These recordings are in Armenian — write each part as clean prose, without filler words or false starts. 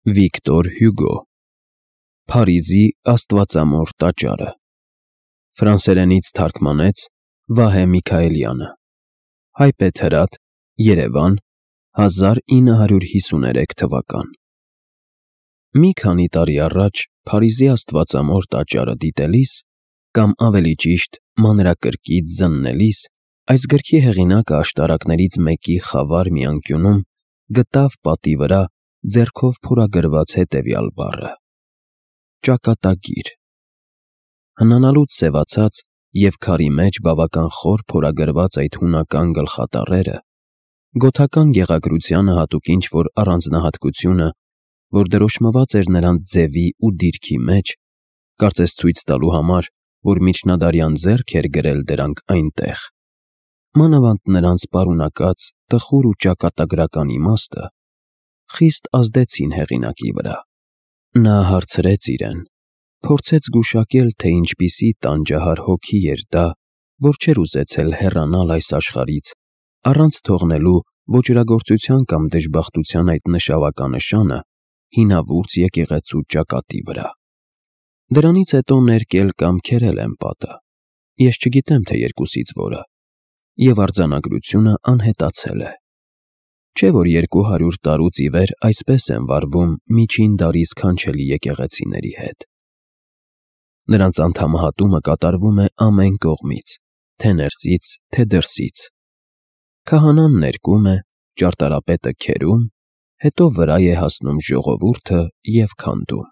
Վիկտոր Հյուգո Փարիզի Աստվածամոր տաճարը Ֆրանսերենից թարգմանեց Վահե Միքայելյանը Հայբեթ Հրաթ Երևան 1953 թվական Մի քանի տարի առաջ Փարիզի Աստվածամոր տաճարը դիտելիս կամ ավելի ճիշտ մանրակրկիտ զննելիս այս գրքի հեղինակը աշտարակներից մեկի խավար մի անկյունում գտավ պատի վրա ձեռքով փորագրված հետևյալ բառը. ճակատագիր։ Հնանալուց սևացած և քարի մեջ բավական խոր փորագրված այդ հունական գլխատառերը, գոթական գեղագրությանը հատուկ ինչ-որ առանձնահատկությունը, որ դրոշմված էր նրանց ձևի ու դիրքի մեջ, կարծես ցույց տալու համար, որ միջնադարյան ձեռք էր գրել դրանք այնտեղ, մանավանդ նրանց պարունակած տխուր ու ճակատագրական իմաստը, խիստ ազդեցին հեղինակի վրա։ Նա հարցրեց իրեն, փորձեց գուշակել, թե ինչպիսի տանջահար հոգի էր դա, որ չէր ուզեցել հեռանալ այս աշխարհից, առանց թողնելու ոճրագործության կամ դժբախտության այդ նշավականշանը հինավուրց եկեղեցու ճակատի վրա։ Դրանից հետո ներկել կամ քերել եմ պատը, ես չգիտեմ, թե երկուսից որը, և արձանագրությունը անհետացել է։ Չէ՞ որ 200 տարուց ի վեր այսպես են վարվում միջին դարի սքանչելի եկեղեցիների հետ։ Նրանց անդամահատումը կատարվում է ամեն կողմից, թե ներսից, թե դրսից։ Քահանան ներկում է, ճարտարապետը քերում, հետո վրա է հասնում ժողովուրդը և քանդում։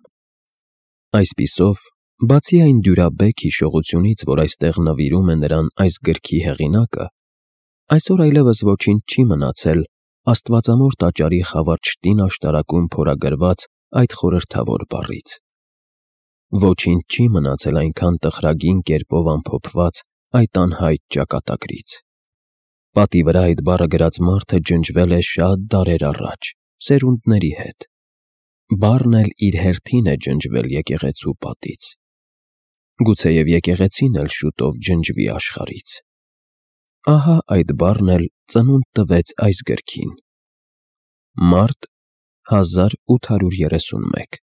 Այսպիսով, բացի այն դյուրաբեկ հիշողությունից, որ այստեղ նվիրում է նրան այս գրքի հեղինակը, այսօր այլևս ոչինչ չի մնացել Աստվածամոր տաճարի խավարչտին աշտարակում փորագրված այդ խորհրդավոր բառից։ Ոչինչ չի մնացել այնքան տխրագին կերպով ամփոփված այդ անհայտ ճակատագրից։ Պատի վրա այդ բառը գրած մարդը ջնջվել է շատ դարեր առաջ, սերունդների հետ։ Բառն էլ իր հերթին է ջնջվել եկեղեցու պատից։ Գուցեև եկեղեցին էլ շուտով ջնջվի աշխարհից։ Ահա այդ բառն էլ ծնունդ տվեց այս գրքին։ Մարտ 1831